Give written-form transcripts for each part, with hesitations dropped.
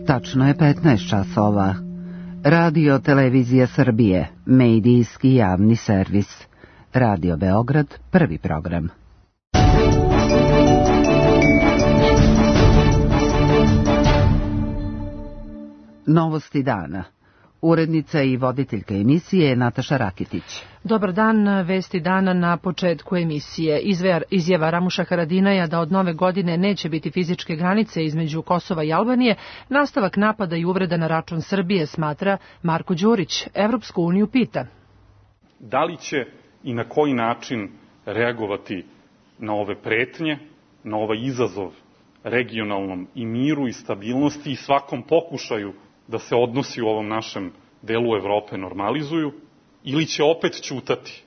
Tačno je 15 časova. Radio Televizija Srbije, medijski javni servis. Radio Beograd, prvi program. Novosti dana. Urednica i voditeljka emisije je Nataša Rakitić. Dobar dan, vesti dana na početku emisije. Izjava Ramuša Haradinaja da od nove godine neće biti fizičke granice između Kosova i Albanije, nastavak napada i uvreda na račun Srbije, smatra Marko Đurić. Evropsku uniju pita. Da li će i na koji način reagovati na ove pretnje, na ovaj izazov regionalnom i miru i stabilnosti i svakom pokušaju da se odnosi u ovom našem delu Evrope normalizuju, ili će opet ćutati?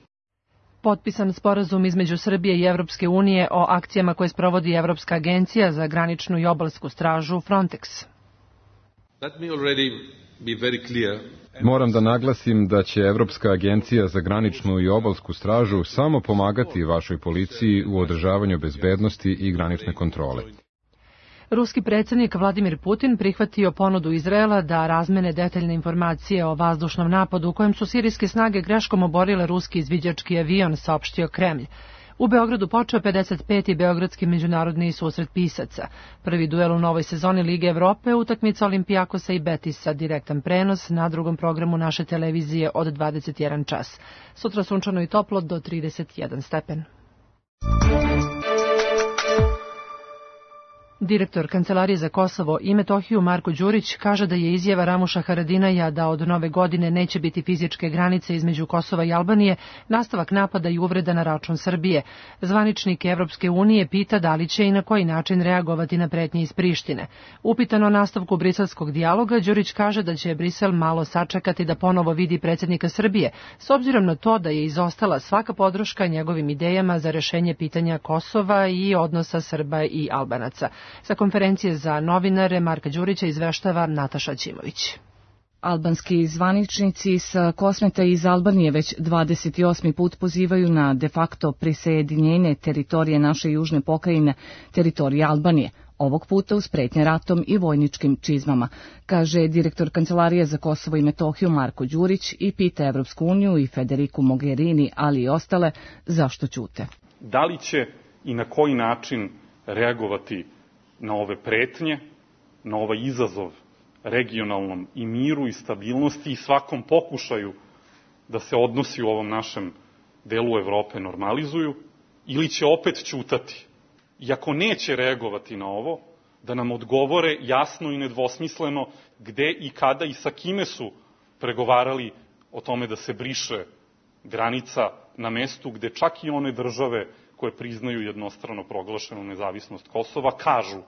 Potpisan sporazum između Srbije i Evropske unije o akcijama koje sprovodi Evropska agencija za graničnu i obalsku stražu Frontex. Moram da naglasim da će Evropska agencija za graničnu i obalsku stražu samo pomagati vašoj policiji u održavanju bezbednosti i granične kontrole. Ruski predsjednik Vladimir Putin prihvatio ponudu Izraela da razmene detaljne informacije o vazdušnom napadu u kojem su sirijske snage greškom oborile ruski izviđački avion, saopštio Kremlj. U Beogradu počeo 55. Beogradski međunarodni susret pisaca. Prvi duel u novoj sezoni Lige Evrope, utakmica Olimpijakosa i Betisa, direktan prenos na drugom programu naše televizije od 21 čas. Sutra sunčano i toplo do 31 stepen. Direktor Kancelarije za Kosovo i Metohiju Marko Đurić kaže da je izjava Ramuša Haradinaja da od nove godine neće biti fizičke granice između Kosova i Albanije nastavak napada i uvreda na račun Srbije. Zvaničnik Evropske unije pita da li će i na koji način reagovati na pretnje iz Prištine. Upitan o nastavku briselskog dijaloga, Đurić kaže da će Brisel malo sačekati da ponovo vidi predsjednika Srbije, s obzirom na to da je izostala svaka podrška njegovim idejama za rešenje pitanja Kosova i odnosa Srba i Albanaca. Sa konferencije za novinare Marka Đurića izveštava Nataša Ćimović. Albanski zvaničnici sa Kosmeta iz Albanije već 28. put pozivaju na de facto prisajedinjenje teritorije naše južne pokrajine, teritorije Albanije, ovog puta uz pretnje ratom i vojničkim čizmama, kaže direktor Kancelarije za Kosovo i Metohiju Marko Đurić i pita Evropsku uniju i Federiku Mogherini, ali i ostale, zašto ćute. Da li će i na koji način reagovati na ove pretnje, na ovaj izazov regionalnom i miru i stabilnosti i svakom pokušaju da se odnosi u ovom našem delu Evrope normalizuju, ili će opet ćutati? I ako neće reagovati na ovo, da nam odgovore jasno i nedvosmisleno gde i kada i sa kime su pregovarali o tome da se briše granica na mestu gde čak i one države koje priznaju jednostrano proglašenu nezavisnost Kosova, kažu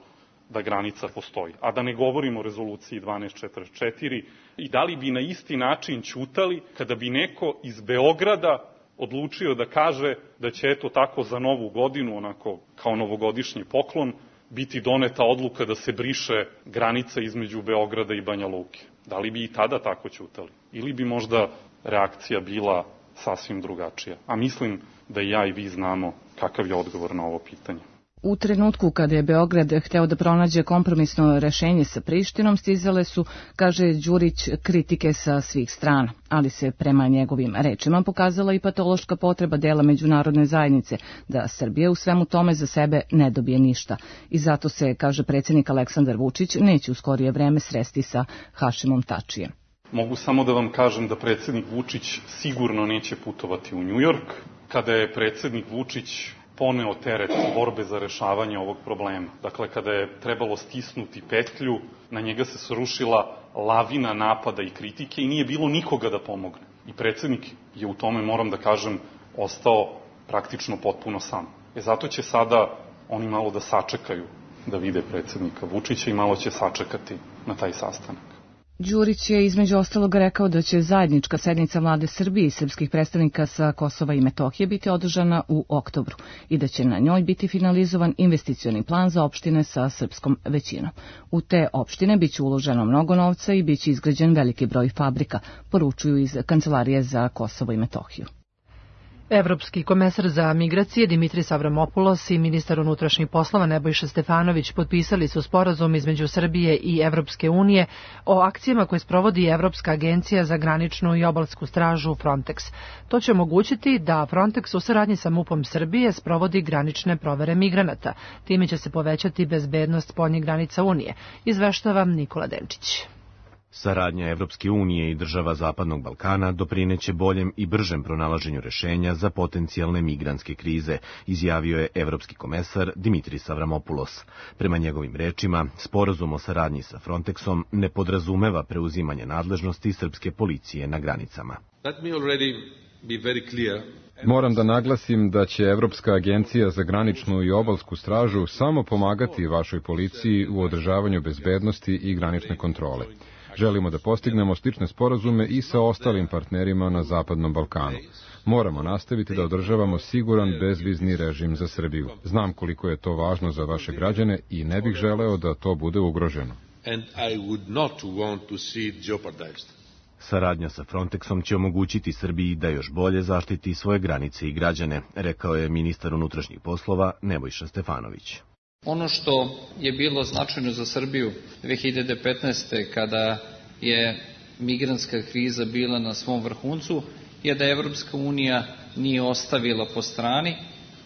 da granica postoji. A da ne govorimo o rezoluciji 1244 i da li bi na isti način ćutali kada bi neko iz Beograda odlučio da kaže da će eto tako za novu godinu, onako kao novogodišnji poklon, biti doneta odluka da se briše granica između Beograda i Banja Luke. Da li bi i tada tako ćutali? Ili bi možda reakcija bila sasvim drugačija? A mislim da i ja i vi znamo kakav je odgovor na ovo pitanje. U trenutku kada je Beograd hteo da pronađe kompromisno rešenje sa Prištinom, stizale su, kaže Đurić, kritike sa svih strana, ali se prema njegovim rečima pokazala i patološka potreba dela međunarodne zajednice da Srbija u svemu tome za sebe ne dobije ništa. I zato se, kaže predsjednik Aleksandar Vučić, neće u skorije vreme sresti sa Hašimom Tačijem. Mogu samo da vam kažem da predsjednik Vučić sigurno neće putovati u Njujork. Kada je predsjednik Vučić poneo teret borbe za rešavanje ovog problema. Dakle, kada je trebalo stisnuti petlju, na njega se srušila lavina napada i kritike i nije bilo nikoga da pomogne. I predsjednik je u tome, moram da kažem, ostao praktično potpuno sam. Zato će sada oni malo da sačekaju da vide predsjednika Vučića i malo će sačekati na taj sastanak. Đurić je između ostalog rekao da će zajednička sednica vlade Srbije i srpskih predstavnika sa Kosova i Metohije biti održana u oktobru i da će na njoj biti finalizovan investicioni plan za opštine sa srpskom većinom. U te opštine biće uloženo mnogo novca i biće izgrađen veliki broj fabrika, poručuju iz Kancelarije za Kosovo i Metohiju. Evropski komesar za migracije Dimitris Avramopoulos i ministar unutrašnjih poslova Nebojša Stefanović potpisali su sporazum između Srbije i Evropske unije o akcijama koje sprovodi Evropska agencija za graničnu i obalsku stražu Frontex. To će omogućiti da Frontex u saradnji sa MUP-om Srbije sprovodi granične provere migranata. Time će se povećati bezbednost spoljnih granica Unije, izveštava Nikola Denčić. Saradnja Evropske unije i država Zapadnog Balkana doprineće boljem i bržem pronalaženju rešenja za potencijalne migrantske krize, izjavio je evropski komesar Dimitris Avramopoulos. Prema njegovim rečima, sporazum o saradnji sa Frontexom ne podrazumeva preuzimanje nadležnosti srpske policije na granicama. Moram da naglasim da će Evropska agencija za graničnu i obalsku stražu samo pomagati vašoj policiji u održavanju bezbednosti i granične kontrole. Želimo da postignemo slične sporazume i sa ostalim partnerima na Zapadnom Balkanu. Moramo nastaviti da održavamo siguran bezvizni režim za Srbiju. Znam koliko je to važno za vaše građane i ne bih želeo da to bude ugroženo. Saradnja sa Frontexom će omogućiti Srbiji da još bolje zaštiti svoje granice i građane, rekao je ministar unutrašnjih poslova Nebojša Stefanović. Ono što je bilo značajno za Srbiju 2015. kada je migrantska kriza bila na svom vrhuncu je da Evropska unija nije ostavila po strani,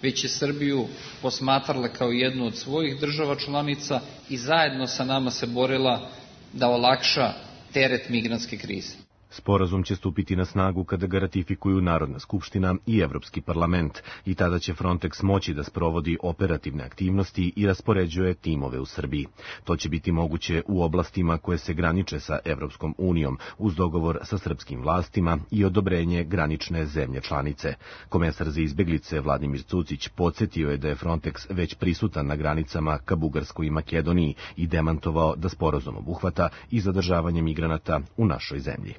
već je Srbiju posmatrala kao jednu od svojih država članica i zajedno sa nama se borila da olakša teret migrantske krize. Sporazum će stupiti na snagu kada ga ratifikuju Narodna skupština i Evropski parlament i tada će Frontex moći da sprovodi operativne aktivnosti i raspoređuje timove u Srbiji. To će biti moguće u oblastima koje se graniče sa Evropskom unijom uz dogovor sa srpskim vlastima i odobrenje granične zemlje članice. Komesar za izbeglice Vladimir Cucić podsjetio je da je Frontex već prisutan na granicama ka Bugarskoj i Makedoniji i demantovao da sporazum obuhvata i zadržavanje migranata u našoj zemlji.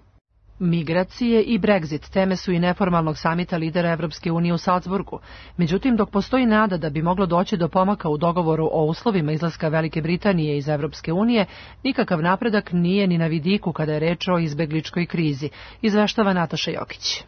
Migracije i Brexit teme su i neformalnog samita lidera Evropske unije u Salzburgu. Međutim, dok postoji nada da bi moglo doći do pomaka u dogovoru o uslovima izlaska Velike Britanije iz Evropske unije, nikakav napredak nije ni na vidiku kada je reč o izbegličkoj krizi, izveštava Nataša Jokić.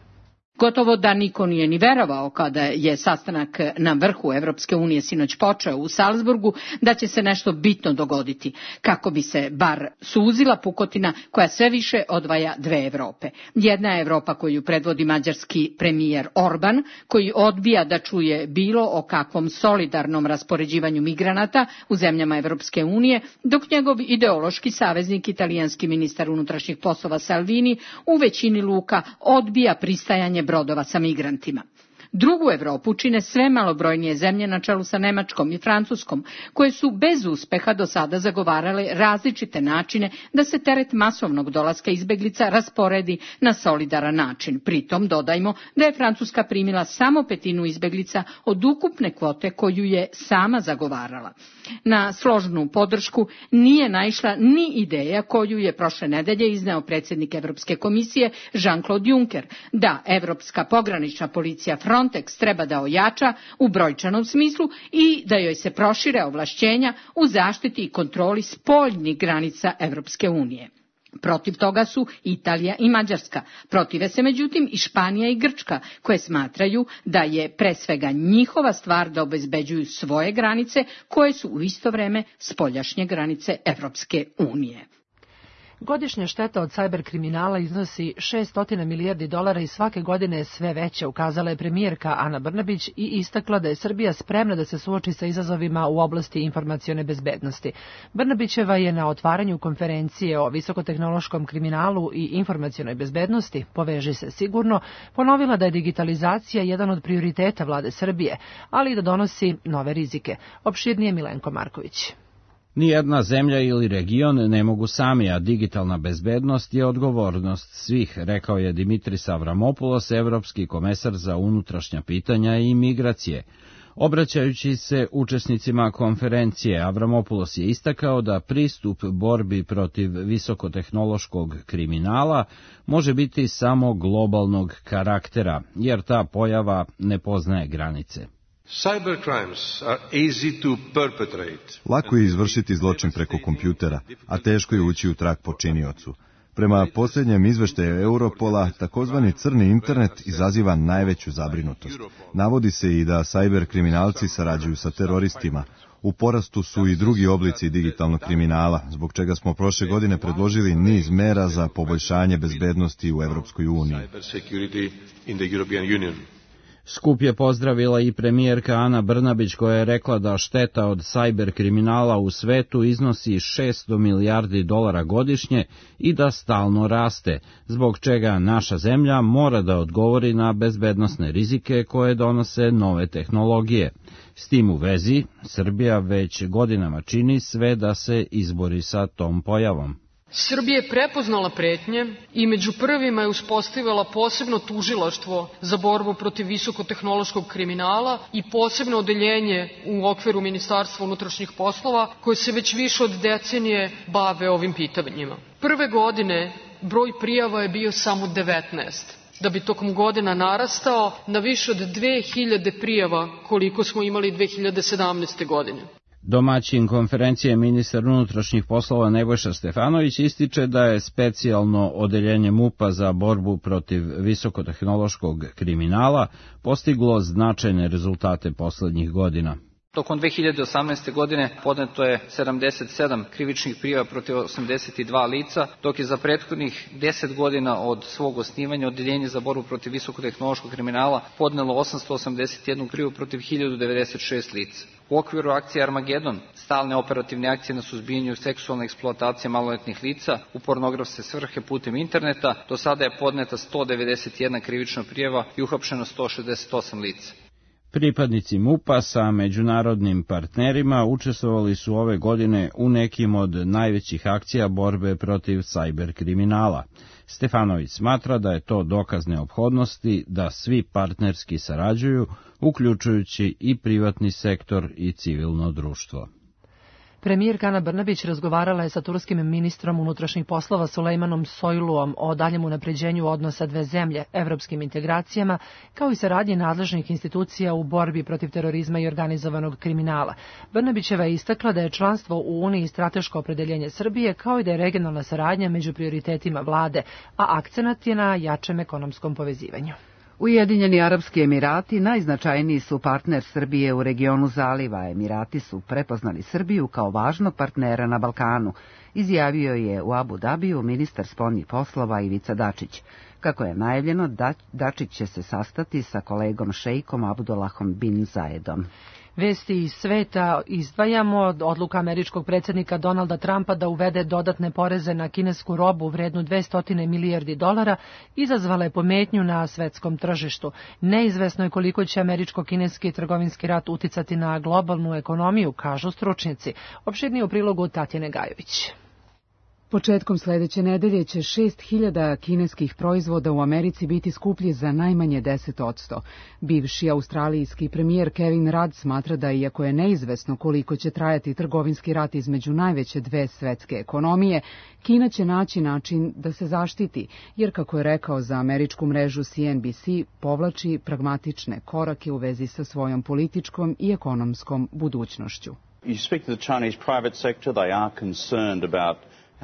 Gotovo da niko nije ni verovao kada je sastanak na vrhu Evropske unije sinoć počeo u Salzburgu da će se nešto bitno dogoditi, kako bi se bar suzila pukotina koja sve više odvaja dve Evrope. Jedna je Evropa koju predvodi mađarski premijer Orban, koji odbija da čuje bilo o kakvom solidarnom raspoređivanju migranata u zemljama Evropske unije, dok njegov ideološki saveznik, italijanski ministar unutrašnjih poslova Salvini, u većini luka odbija pristajanje brodova sa migrantima. Drugu Evropu čine sve malobrojnije zemlje na čelu sa Nemačkom i Francuskom, koje su bez uspeha do sada zagovarale različite načine da se teret masovnog dolaska izbeglica rasporedi na solidaran način. Pritom dodajmo da je Francuska primila samo 1/5 izbeglica od ukupne kvote koju je sama zagovarala. Na složnu podršku nije naišla ni ideja koju je prošle nedelje izneo predsjednik Evropske komisije Jean-Claude Juncker, da Evropska pogranična policija Frontex treba da ojača u brojčanom smislu i da joj se prošire ovlašćenja u zaštiti i kontroli spoljnih granica Evropske unije. Protiv toga su Italija i Mađarska. Protive se međutim i Španija i Grčka, koje smatraju da je pre svega njihova stvar da obezbeđuju svoje granice, koje su u isto vreme spoljašnje granice Evropske unije. Godišnja šteta od sajber kriminala iznosi $600 milijardi i svake godine je sve veća, ukazala je premijerka Ana Brnabić i istakla da je Srbija spremna da se suoči sa izazovima u oblasti informacione bezbednosti. Brnabićeva je na otvaranju konferencije o visokotehnološkom kriminalu i informacionoj bezbednosti, Poveži se sigurno, ponovila da je digitalizacija jedan od prioriteta vlade Srbije, ali i da donosi nove rizike. Opširnije Milenko Marković. Nijedna zemlja ili region ne mogu sami, a digitalna bezbednost je odgovornost svih, rekao je Dimitris Avramopoulos, evropski komesar za unutrašnja pitanja i migracije. Obraćajući se učesnicima konferencije, Avramopoulos je istakao da pristup borbi protiv visokotehnološkog kriminala može biti samo globalnog karaktera, jer ta pojava ne poznaje granice. Lako je izvršiti zločin preko kompjutera, a teško je ući u trag počiniocu. Prema posljednjem izveštaju Europola, takozvani crni internet izaziva najveću zabrinutost. Navodi se i da sajber kriminalci sarađuju sa teroristima. U porastu su i drugi oblici digitalnog kriminala, zbog čega smo prošle godine predložili niz mera za poboljšanje bezbednosti u Evropskoj uniji. Skup je pozdravila i premijerka Ana Brnabić koja je rekla da šteta od sajber kriminala u svetu iznosi 600 milijardi dolara godišnje i da stalno raste, zbog čega naša zemlja mora da odgovori na bezbednosne rizike koje donose nove tehnologije. S tim u vezi, Srbija već godinama čini sve da se izbori sa tom pojavom. Srbija je prepoznala pretnje i među prvima je uspostavila posebno tužilaštvo za borbu protiv visokotehnološkog kriminala i posebno odeljenje u okviru Ministarstva unutrašnjih poslova koje se već više od decenije bave ovim pitanjima. Prve godine broj prijava je bio samo 19, da bi tokom godina narastao na više od 2000 prijava koliko smo imali 2017. godine. Domaćin konferencije ministar unutrašnjih poslova Nebojša Stefanović ističe da je specijalno odeljenje MUP-a za borbu protiv visokotehnološkog kriminala postiglo značajne rezultate poslednjih godina. Tokom 2018. godine podneto je 77 krivičnih prijava protiv 82 lica, dok je za prethodnih 10 godina od svog osnivanja Odeljenje za borbu protiv visokotehnološkog kriminala podnelo 881 prijavu protiv 1096 lica. U okviru akcije Armagedon, stalne operativne akcije na suzbijanju seksualne eksploatacije maloletnih lica u pornografske svrhe putem interneta, do sada je podneta 191 krivična prijava i uhapšeno 168 lica. Pripadnici MUP-a sa međunarodnim partnerima učestvovali su ove godine u nekim od najvećih akcija borbe protiv sajber kriminala. Stefanović smatra da je to dokaz neophodnosti da svi partnerski sarađuju, uključujući i privatni sektor i civilno društvo. Premijerka Ana Brnabić razgovarala je sa turskim ministrom unutrašnjih poslova Sulejmanom Soyluom o daljem unapređenju odnosa dve zemlje, evropskim integracijama, kao i saradnji nadležnih institucija u borbi protiv terorizma i organizovanog kriminala. Brnabićeva je istakla da je članstvo u Uniji strateško opredeljenje Srbije, kao i da je regionalna saradnja među prioritetima vlade, a akcenat je na jačem ekonomskom povezivanju. Ujedinjeni Arapski Emirati najznačajniji su partner Srbije u regionu Zaliva. Emirati su prepoznali Srbiju kao važnog partnera na Balkanu, izjavio je u Abu Dabiju ministar spoljnih poslova Ivica Dačić. Kako je najavljeno, Dačić će se sastati sa kolegom šejkom Abdullahom bin Zayedom. Vesti iz sveta izdvajamo od odluka američkog predsjednika Donalda Trumpa da uvede dodatne poreze na kinesku robu vrednu 200 milijardi dolara, izazvala je pometnju na svetskom tržištu. Neizvesno je koliko će američko-kineski trgovinski rat uticati na globalnu ekonomiju, kažu stručnjaci. Opširnije u prilogu Tatjane Gajović. Početkom sledeće nedelje će 6.000 kineskih proizvoda u Americi biti skuplji za najmanje 10%. Bivši australijski premijer Kevin Rudd smatra da iako je neizvesno koliko će trajati trgovinski rat između najveće dve svetske ekonomije, Kina će naći način da se zaštiti, jer kako je rekao za američku mrežu CNBC, povlači pragmatične korake u vezi sa svojom političkom i ekonomskom budućnošću.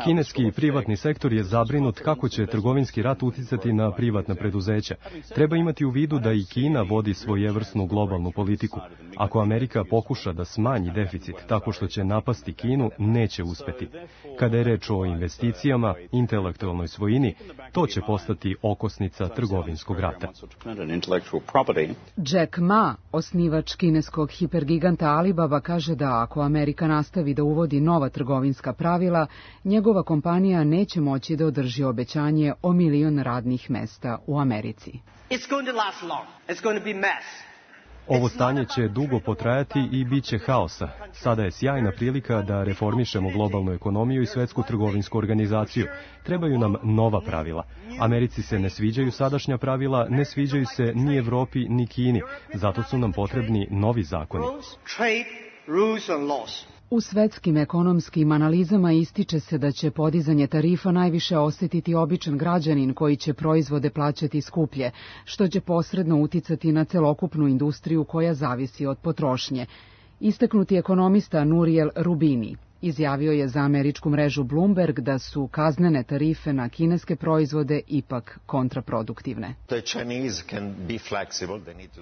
Kineski privatni sektor je zabrinut kako će trgovinski rat uticati na privatna preduzeća. Treba imati u vidu da i Kina vodi svojevrsnu globalnu politiku. Ako Amerika pokuša da smanji deficit tako što će napasti Kinu, neće uspeti. Kada je reč o investicijama, intelektualnoj svojini, to će postati okosnica trgovinskog rata. Jack Ma, osnivač kineskog hipergiganta Alibaba, kaže da ako Amerika nastavi da uvodi nova trgovinska pravila, njegova kompanija neće moći da održi obećanje o 1 milion radnih mesta u Americi. Ovo stanje će dugo potrajati i bit će haosa. Sada je sjajna prilika da reformišemo globalnu ekonomiju i svetsku trgovinsku organizaciju. Trebaju nam nova pravila. Americi se ne sviđaju sadašnja pravila, ne sviđaju se ni Evropi ni Kini. Zato su nam potrebni novi zakoni. U svetskim ekonomskim analizama ističe se da će podizanje tarifa najviše osetiti običan građanin koji će proizvode plaćati skuplje, što će posredno uticati na celokupnu industriju koja zavisi od potrošnje. Istaknuti ekonomista Nuriel Rubini Izjavio je za američku mrežu Bloomberg da su kaznene tarife na kineske proizvode ipak kontraproduktivne.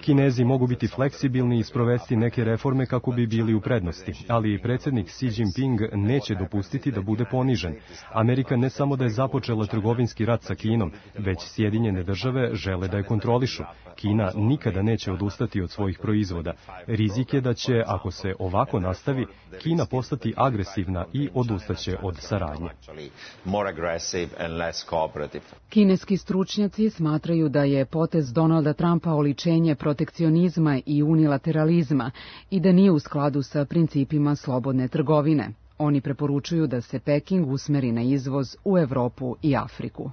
Kinezi mogu biti fleksibilni i sprovesti neke reforme kako bi bili u prednosti, ali predsjednik Xi Jinping neće dopustiti da bude ponižen. Amerika ne samo da je započela trgovinski rat sa Kinom, već Sjedinjene države žele da je kontrolišu. Kina nikada neće odustati od svojih proizvoda. Rizik je da će, ako se ovako nastavi, Kina postati agresivna i odustaće od saradnje. Kineski stručnjaci smatraju da je potez Donalda Trumpa oličenje protekcionizma i unilateralizma i da nije u skladu sa principima slobodne trgovine. Oni preporučuju da se Peking usmeri na izvoz u Evropu i Afriku.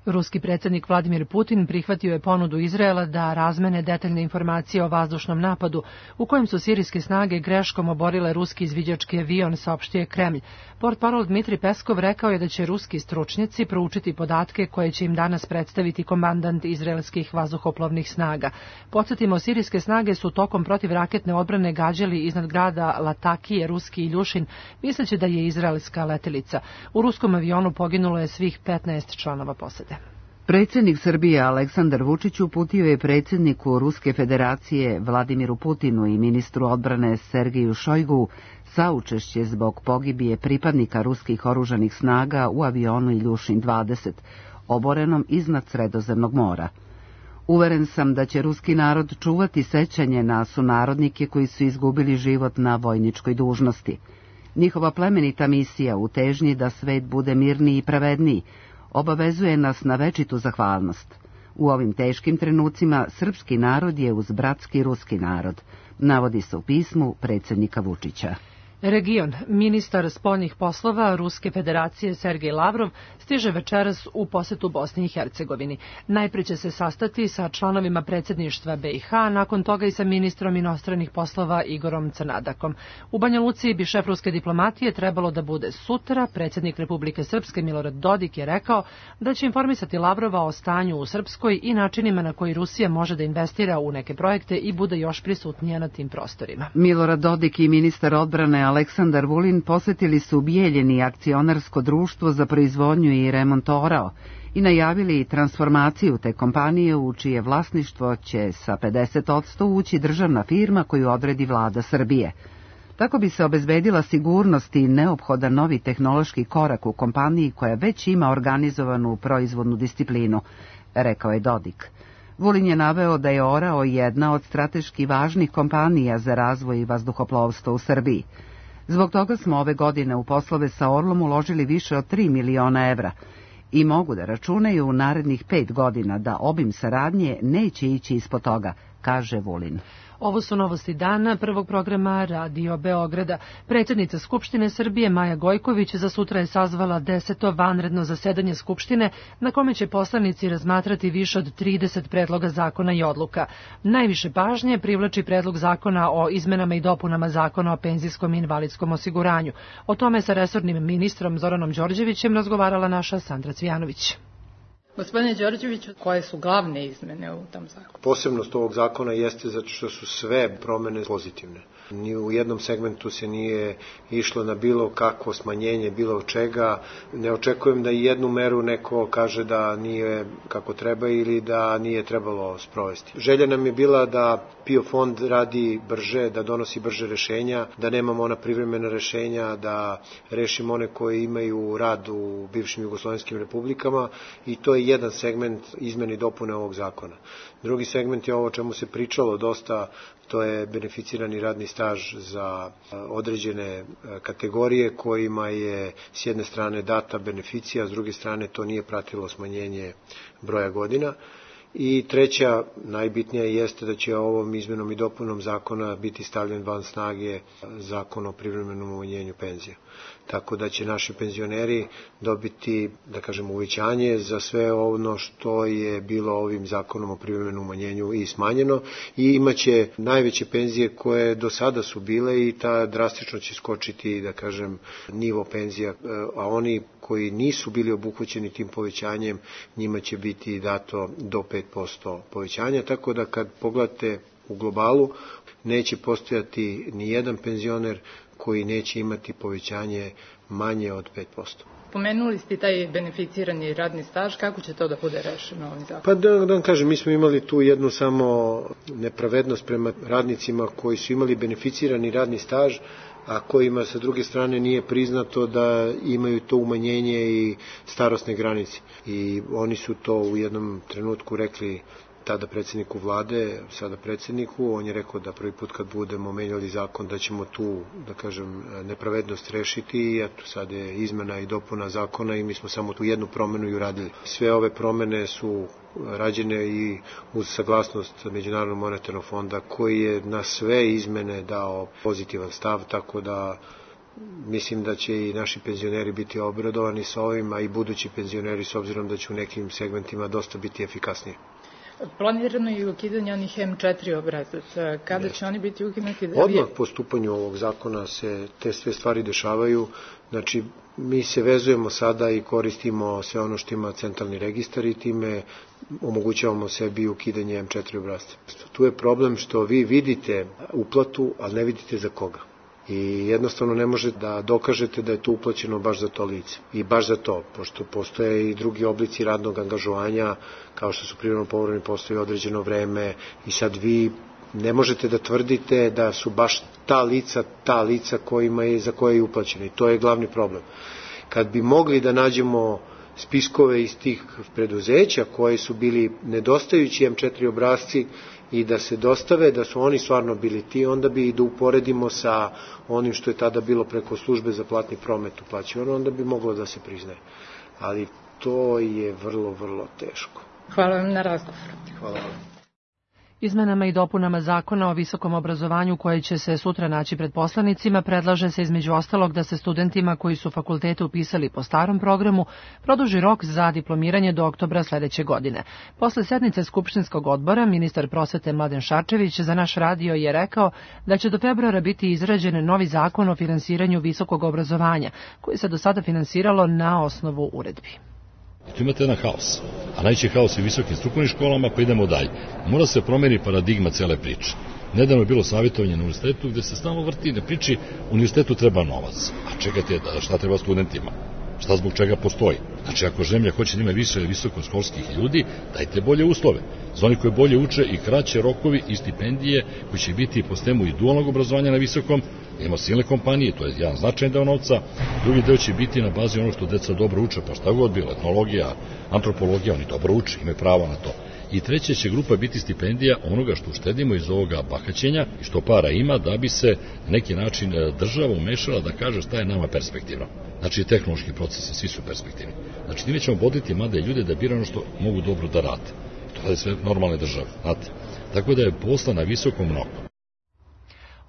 Ruski predsjednik Vladimir Putin prihvatio je ponudu Izraela da razmene detaljne informacije o vazdušnom napadu u kojem su sirijske snage greškom oborile ruski izviđački avion, saopštio je Kremlj. Portparol Dmitri Peskov rekao je da će ruski stručnjaci proučiti podatke koje će im danas predstaviti komandant izraelskih vazduhoplovnih snaga. Podsjetimo, sirijske snage su tokom protivraketne odbrane gađali iznad grada Latakije, Ruski Iljušin, misleći da je izraelska letelica. U ruskom avionu poginulo je svih 15 članova posade. Predsjednik Srbije Aleksandar Vučić uputio je predsjedniku Ruske federacije Vladimiru Putinu i ministru odbrane Sergeju Šojgu saučešće zbog pogibije pripadnika ruskih oružanih snaga u avionu Iljušin 20, oborenom iznad Sredozemnog mora. Uveren sam da će ruski narod čuvati sećanje na sunarodnike koji su izgubili život na vojničkoj dužnosti. Njihova plemenita misija u težnji da svet bude mirniji i pravedniji obavezuje nas na večitu zahvalnost. U ovim teškim trenucima srpski narod je uz bratski ruski narod, navodi se u pismu predsjednika Vučića. Region. Ministar spoljnih poslova Ruske federacije Sergej Lavrov stiže večeras u posetu Bosni i Hercegovini. Najprije će se sastati sa članovima predsjedništva BiH, nakon toga i sa ministrom inostranih poslova Igorom Crnadakom. U Banja Luci bi šef ruske diplomatije trebalo da bude sutra. Predsjednik Republike Srpske Milorad Dodik je rekao da će informisati Lavrova o stanju u Srpskoj i načinima na koji Rusija može da investira u neke projekte i bude još prisutnija na tim prostorima. Milorad Dodik i ministar odbrane Aleksandar Vulin posjetili su Bijeljeni akcionarsko društvo za proizvodnju i remont orao i najavili transformaciju te kompanije u čije vlasništvo će sa 50% ući državna firma koju odredi vlada Srbije. Tako bi se obezbedila sigurnost i neophodan novi tehnološki korak u kompaniji koja već ima organizovanu proizvodnu disciplinu, rekao je Dodik. Vulin je naveo da je orao jedna od strateški važnih kompanija za razvoj vazduhoplovstva u Srbiji. Zbog toga smo ove godine u poslove sa Orlom uložili više od 3 miliona evra i mogu da računaju u narednih 5 godina da obim saradnje neće ići ispod toga, kaže Vulin. Ovo su novosti dana prvog programa Radio Beograda. Predsjednica Skupštine Srbije Maja Gojković za sutra je sazvala 10. vanredno zasedanje Skupštine na kome će poslanici razmatrati više od 30 predloga zakona i odluka. Najviše pažnje privlači predlog zakona o izmenama i dopunama zakona o penzijskom i invalidskom osiguranju. O tome sa resornim ministrom Zoranom Đorđevićem razgovarala naša Sandra Cvijanović. Gospodine Đorđeviću, koje su glavne izmene u tom zakonu? Posebnost ovog zakona jeste zato što su sve promene pozitivne. Ni u jednom segmentu se nije išlo na bilo kakvo smanjenje bilo čega. Ne očekujem da jednu meru neko kaže da nije kako treba ili da nije trebalo sprovesti. Želja nam je bila da PIO fond radi brže, da donosi brže rešenja, da nemamo ona privremena rešenja, da rešimo one koji imaju rad u bivšim jugoslovenskim republikama i to je jedan segment izmene i dopune ovog zakona. Drugi segment je ovo o čemu se pričalo dosta, to je beneficirani radni staž za određene kategorije kojima je s jedne strane data beneficija, s druge strane to nije pratilo smanjenje broja godina. I treća, najbitnija jeste da će ovom izmenom i dopunom zakona biti stavljen van snage zakon o privremenom umanjenju penzija. Tako da će naši penzioneri dobiti, da kažem, uvećanje za sve ono što je bilo ovim zakonom o privremenom umanjenju i smanjeno i imaće najveće penzije koje do sada su bile i ta drastično će skočiti, da kažem, nivo penzija, a oni koji nisu bili obuhvaćeni tim povećanjem, njima će biti dato do 5% povećanja, tako da kad pogledate u globalu, neće postojati ni jedan penzioner koji neće imati povećanje manje od 5%. Pomenuli ste taj beneficirani radni staž, kako će to da bude rešeno ovim zakonom? Pa da vam kažem, mi smo imali tu jednu samo nepravednost prema radnicima koji su imali beneficirani radni staž, a kojima sa druge strane nije priznato da imaju to umanjenje i starosne granice. I oni su to u jednom trenutku rekli tada predsjedniku vlade, sada predsjedniku, on je rekao da prvi put kad budemo menjali zakon da ćemo tu, da kažem, nepravednost rešiti i eto sad je izmena i dopuna zakona i mi smo samo tu jednu promenu i uradili. Sve ove promene su rađene i uz saglasnost Međunarodnog monetarnog fonda koji je na sve izmene dao pozitivan stav, tako da mislim da će i naši penzioneri biti obradovani sa ovim, a i budući penzioneri s obzirom da će u nekim segmentima dosta biti efikasniji. Planirano je ukidanje onih M4 obrazaca. Kada će oni biti ukinuti? Odmah po stupanju ovog zakona se te sve stvari dešavaju. Znači, mi se vezujemo sada i koristimo sve ono što ima centralni registar i time omogućavamo sebi ukidanje M4 obrazca. Tu je problem što vi vidite uplatu, ali ne vidite za koga. I jednostavno ne možete da dokažete da je to uplaćeno baš za to lice. I baš za to, pošto postoje i drugi oblici radnog angažovanja, kao što su privremeno povremeni poslovi određeno vreme, i sad vi ne možete da tvrdite da su baš ta lica za koje je uplaćeno. I to je glavni problem. Kad bi mogli da nađemo spiskove iz tih preduzeća koji su bili nedostajući M4 obrazci i da se dostave da su oni stvarno bili ti, onda bi i da uporedimo sa onim što je tada bilo preko službe za platni promet uplaćivano, onda bi moglo da se priznaje. Ali to je vrlo, vrlo teško. Hvala vam na razgovoru. Hvala vam. Izmenama i dopunama zakona o visokom obrazovanju koje će se sutra naći pred poslanicima predlaže se između ostalog da se studentima koji su fakultete upisali po starom programu produži rok za diplomiranje do oktobra sledeće godine. Posle sednice Skupštinskog odbora, ministar prosvete Mladen Šarčević za naš radio je rekao da će do februara biti izrađen novi zakon o finansiranju visokog obrazovanja, koji se do sada finansiralo na osnovu uredbi. I tu imate jedan haos, a najveći haos je u visokim strukovnim školama, pa idemo dalje. Mora se promeni paradigma cele priče. Nedavno je bilo savjetovanje na univerzitetu gde se stalno vrti na priči univerzitetu treba novac. A čekajte, šta treba studentima? Šta zbog čega postoji? Znači, ako zemlja hoće da ima više visokoškolskih ljudi, dajte bolje uslove. Za oni koji bolje uče i kraće rokovi i stipendije koji će biti po sistemu i dualnog obrazovanja na visokom, ima silne kompanije, to je jedan značajan deo novca, drugi deo će biti na bazi ono što deca dobro uče, pa šta god bilo, etnologija, antropologija, oni dobro uče, imaju pravo na to. I treća će grupa biti stipendija onoga što uštedimo iz ovoga bahaćenja i što para ima da bi se na neki način država umešala da kaže šta je nama perspektivno. Znači, tehnološki procesi, svi su perspektivni. Znači, time ćemo boditi mlade ljude da biraju ono što mogu dobro da rade. To je sve normalne države, znate. Tako da je posla na visokom mnogo.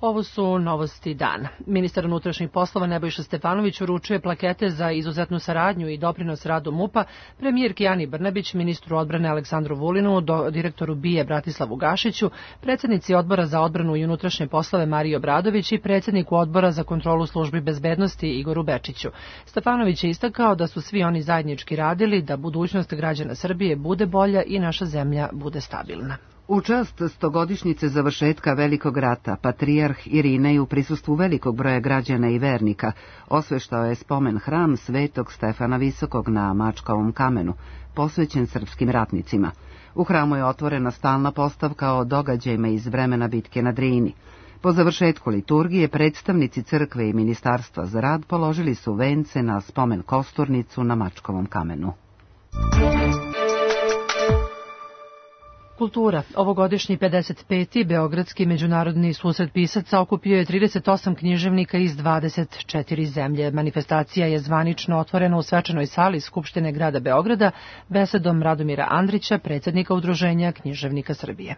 Ovo su novosti dana. Ministar unutrašnjih poslova Nebojša Stefanović uručuje plakete za izuzetnu saradnju i doprinos radu MUP-a premijerki Ani Brnabić, ministru odbrane Aleksandru Vulinu, direktoru BIA Bratislavu Gašiću, predsjednici Odbora za odbranu i unutrašnje poslove Mariji Obradović i predsjedniku Odbora za kontrolu službi bezbednosti Igoru Bečiću. Stefanović je istakao da su svi oni zajednički radili da budućnost građana Srbije bude bolja i naša zemlja bude stabilna. U čast 100-godišnjice završetka Velikog rata, patrijarh Irinej u prisustvu velikog broja građana i vernika osveštao je spomen hram Svetog Stefana Visokog na Mačkovom kamenu, posvećen srpskim ratnicima. U hramu je otvorena stalna postavka o događajima iz vremena bitke na Drini. Po završetku liturgije predstavnici crkve i ministarstva za rad položili su vence na spomen kosturnicu na Mačkovom kamenu. Kultura. Ovogodišnji 55. Beogradski međunarodni susret pisaca okupio je 38 književnika iz 24 zemlje. Manifestacija je zvanično otvorena u svečanoj sali Skupštine grada Beograda besedom Radomira Andrića, predsjednika Udruženja književnika Srbije.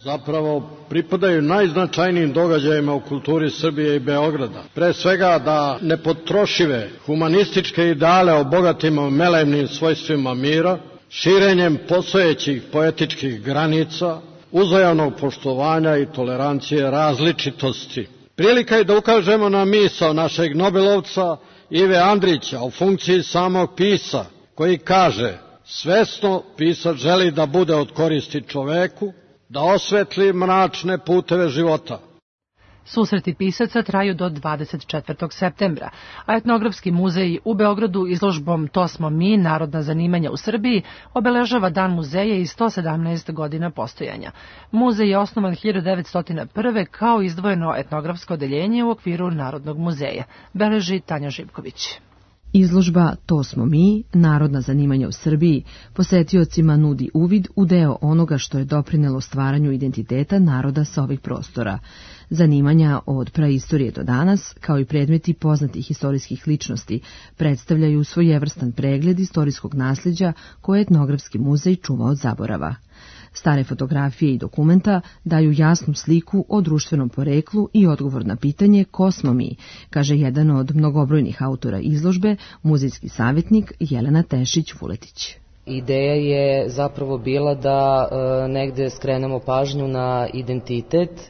Zapravo pripadaju najznačajnijim događajima u kulturi Srbije i Beograda. Pre svega da nepotrošive humanističke ideale obogatimo melevnim svojstvima mira, širenjem postojećih poetičkih granica, uzajamnog poštovanja i tolerancije različitosti. Prilika je da ukažemo na misao našeg Nobelovca Ive Andrića u funkciji samog pisa, koji kaže: svesno pisac želi da bude od koristi čoveku, da osvetli mračne puteve života. Susreti pisaca traju do 24. septembra, a Etnografski muzej u Beogradu izložbom To smo mi, narodna zanimanja u Srbiji, obeležava Dan muzeja i 117 godina postojanja. Muzej je osnovan 1901. kao izdvojeno etnografsko odeljenje u okviru Narodnog muzeja, beleži Tanja Živković. Izložba To smo mi, narodna zanimanja u Srbiji, posetiocima nudi uvid u deo onoga što je doprinelo stvaranju identiteta naroda sa ovih prostora. Zanimanja od praistorije do danas, kao i predmeti poznatih istorijskih ličnosti, predstavljaju svojevrstan pregled istorijskog nasljeđa koje Etnografski muzej čuva od zaborava. Stare fotografije i dokumenta daju jasnu sliku o društvenom poreklu i odgovor na pitanje ko smo mi, kaže jedan od mnogobrojnih autora izložbe, muzejski savjetnik Jelena Tešić-Vuletić. Ideja je zapravo bila da negde skrenemo pažnju na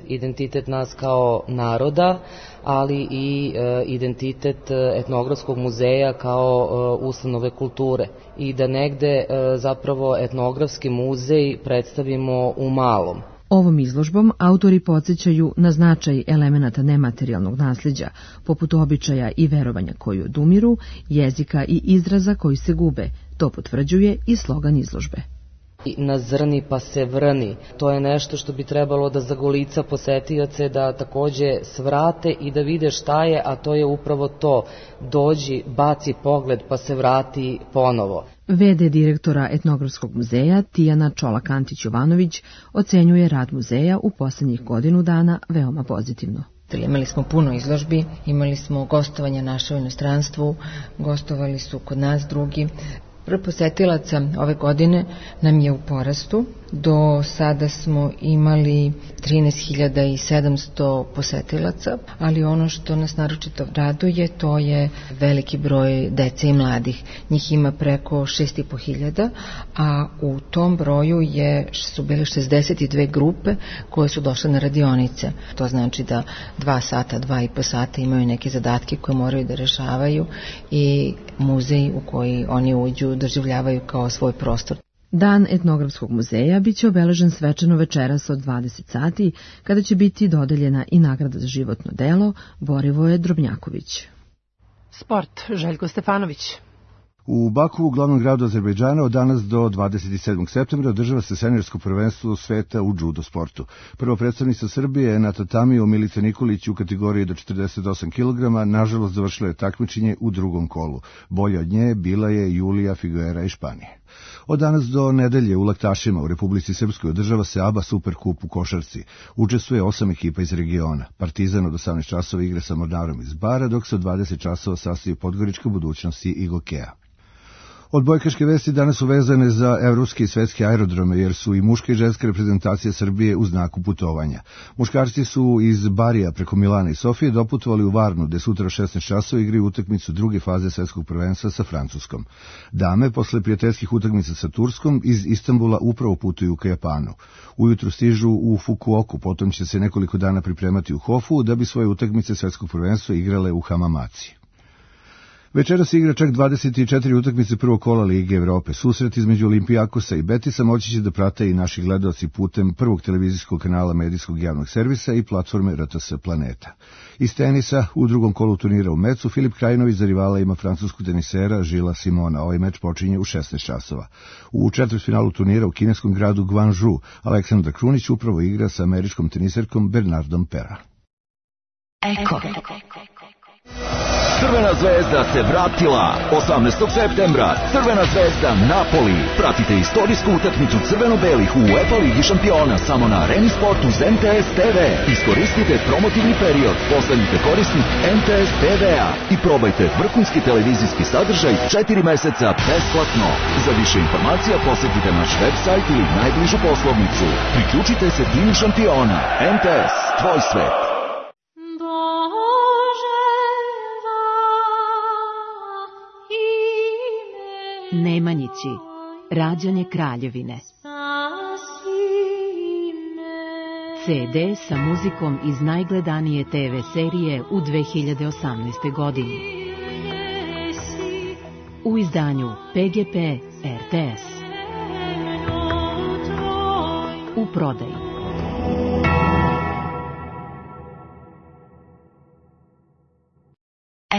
identitet nas kao naroda, ali i identitet Etnografskog muzeja kao ustanove kulture i da negde zapravo Etnografski muzej predstavimo u malom. Ovom izložbom autori podsjećaju na značaj elemenata nematerijalnog nasljeđa, poput običaja i verovanja koji odumiru, jezika i izraza koji se gube. To potvrđuje i slogan izložbe. Na zrni pa se vrni. To je nešto što bi trebalo da zagolica posetioce, da takođe svrate i da vide šta je, a to je upravo to. Dođi, baci pogled pa se vrati ponovo. VD direktora Etnografskog muzeja Tijana Čolak-Antić-Jovanović ocenjuje rad muzeja u poslednjih godinu dana veoma pozitivno. Imali smo puno izložbi, imali smo gostovanja naše u inostranstvu, gostovali su kod nas drugi. Broj posetilaca ove godine nam je u porastu. Do sada smo imali 13.700 posetilaca, ali ono što nas naročito raduje, to je veliki broj dece i mladih. Njih ima preko 6.500, a u tom broju su bile 62 grupe koje su došle na radionice. To znači da 2 sata, 2,5 sata imaju neke zadatke koje moraju da rešavaju i muzej u koji oni uđu doživljavaju kao svoj prostor. Dan Etnografskog muzeja biće obeležen svečano večeras od 20 sati, kada će biti dodeljena i nagrada za životno delo Borivoje Drobnjaković. Sport, Željko Stefanović. U Baku, glavnom gradu Azerbejdžana, od danas do 27. septembra održava se seniorsko prvenstvo sveta u judo sportu. Prva predstavnica Srbije je na tatamiju Milica Nikolić u kategoriji do 48 kg, nažalost završila je takmičenje u drugom kolu. Bolja od nje bila je Julija Figuera iz Španije. Od danas do nedelje u Laktašima u Republici Srpskoj održava se ABA Superkup u košarci. Učestvuje 8 ekipa iz regiona. Partizan od 18 časova igra sa Mornarom iz Bara, dok se od 20 časova sastoji Podgorička Budućnosti i Gokeja. Odbojkaške vesti danas su vezane za evropske i svetske aerodrome, jer su i muška i ženska reprezentacija Srbije u znaku putovanja. Muškarci su iz Barija preko Milana i Sofije doputovali u Varnu, gde sutra 16 časova igraju utakmicu druge faze svetskog prvenstva sa Francuskom. Dame, posle prijateljskih utakmica sa Turskom, iz Istanbula upravo putuju ka Japanu. Ujutru stižu u Fukuoku, potom će se nekoliko dana pripremati u Hofu, da bi svoje utakmice svetskog prvenstva igrale u Hamamaci. Večera se igra čak 24 utakmice prvog kola Lige Evrope. Susret između Olimpijakosa i Betisa moći će da prate i naši gledaoci putem prvog televizijskog kanala medijskog javnog servisa i platforme RTS Planeta. Iz tenisa, u drugom kolu turnira u Mecu, Filip Krajinović za rivala ima francuskog tenisera Žila Simona. Ovaj meč počinje u 16 časova. U četvrtfinalu turnira u kineskom gradu Guangzhou, Aleksandar Krunić upravo igra sa američkom teniserkom Bernardom Pera. Eko. Crvena zvezda se vratila 18. septembra. Crvena zvezda Napoli. Pratite istorijsku utakmicu crveno-belih u UEFA Ligi šampiona samo na Areni Sport uz MTS TV. Iskoristite promotivni period, postanite korisnik MTS TV-a i probajte vrhunski televizijski sadržaj 4 meseca besplatno. Za više informacija posetite naš web sajt ili najbližu poslovnicu. Priključite se timu šampiona. MTS, tvoj svet. Nemanjići, rađanje kraljevine. CD sa muzikom iz najgledanije TV serije u 2018. godini. U izdanju PGP RTS. U prodaji.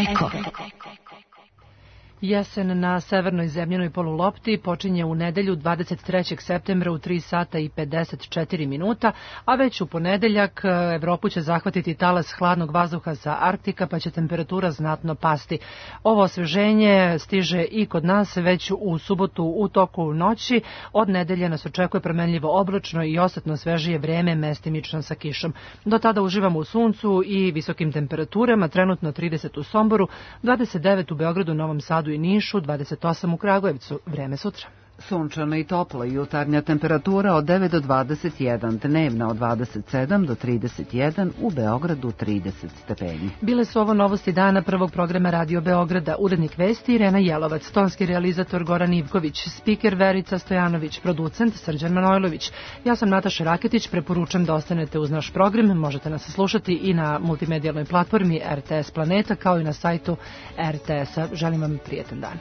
Eko. Jesen na severnoj zemljanoj polulopti počinje u nedelju 23. septembra u 3 sata i 54 minuta, a već u ponedeljak Evropu će zahvatiti talas hladnog vazduha sa Arktika, pa će temperatura znatno pasti. Ovo osveženje stiže i kod nas već u subotu u toku noći. Od nedelje nas očekuje promenljivo oblačno i osetno svežije vreme, mestimično sa kišom. Do tada uživamo u suncu i visokim temperaturama, trenutno 30 u Somboru, 29 u Beogradu, Novom Sadu i Nišu, 28 u Kragujevcu. Vreme sutra. Sunčano i toplo, jutarnja temperatura od 9 do 21, dnevna od 27 do 31, u Beogradu 30 stepeni. Bile su ovo novosti dana prvog programa Radio Beograda, urednik vesti Irena Jelovac, tonski realizator Goran Ivković, spiker Verica Stojanović, producent Srđan Manojlović. Ja sam Nataša Raketić, preporučam da ostanete uz naš program, možete nas slušati i na multimedijalnoj platformi RTS Planeta kao i na sajtu RTS-a. Želim vam prijetan dan.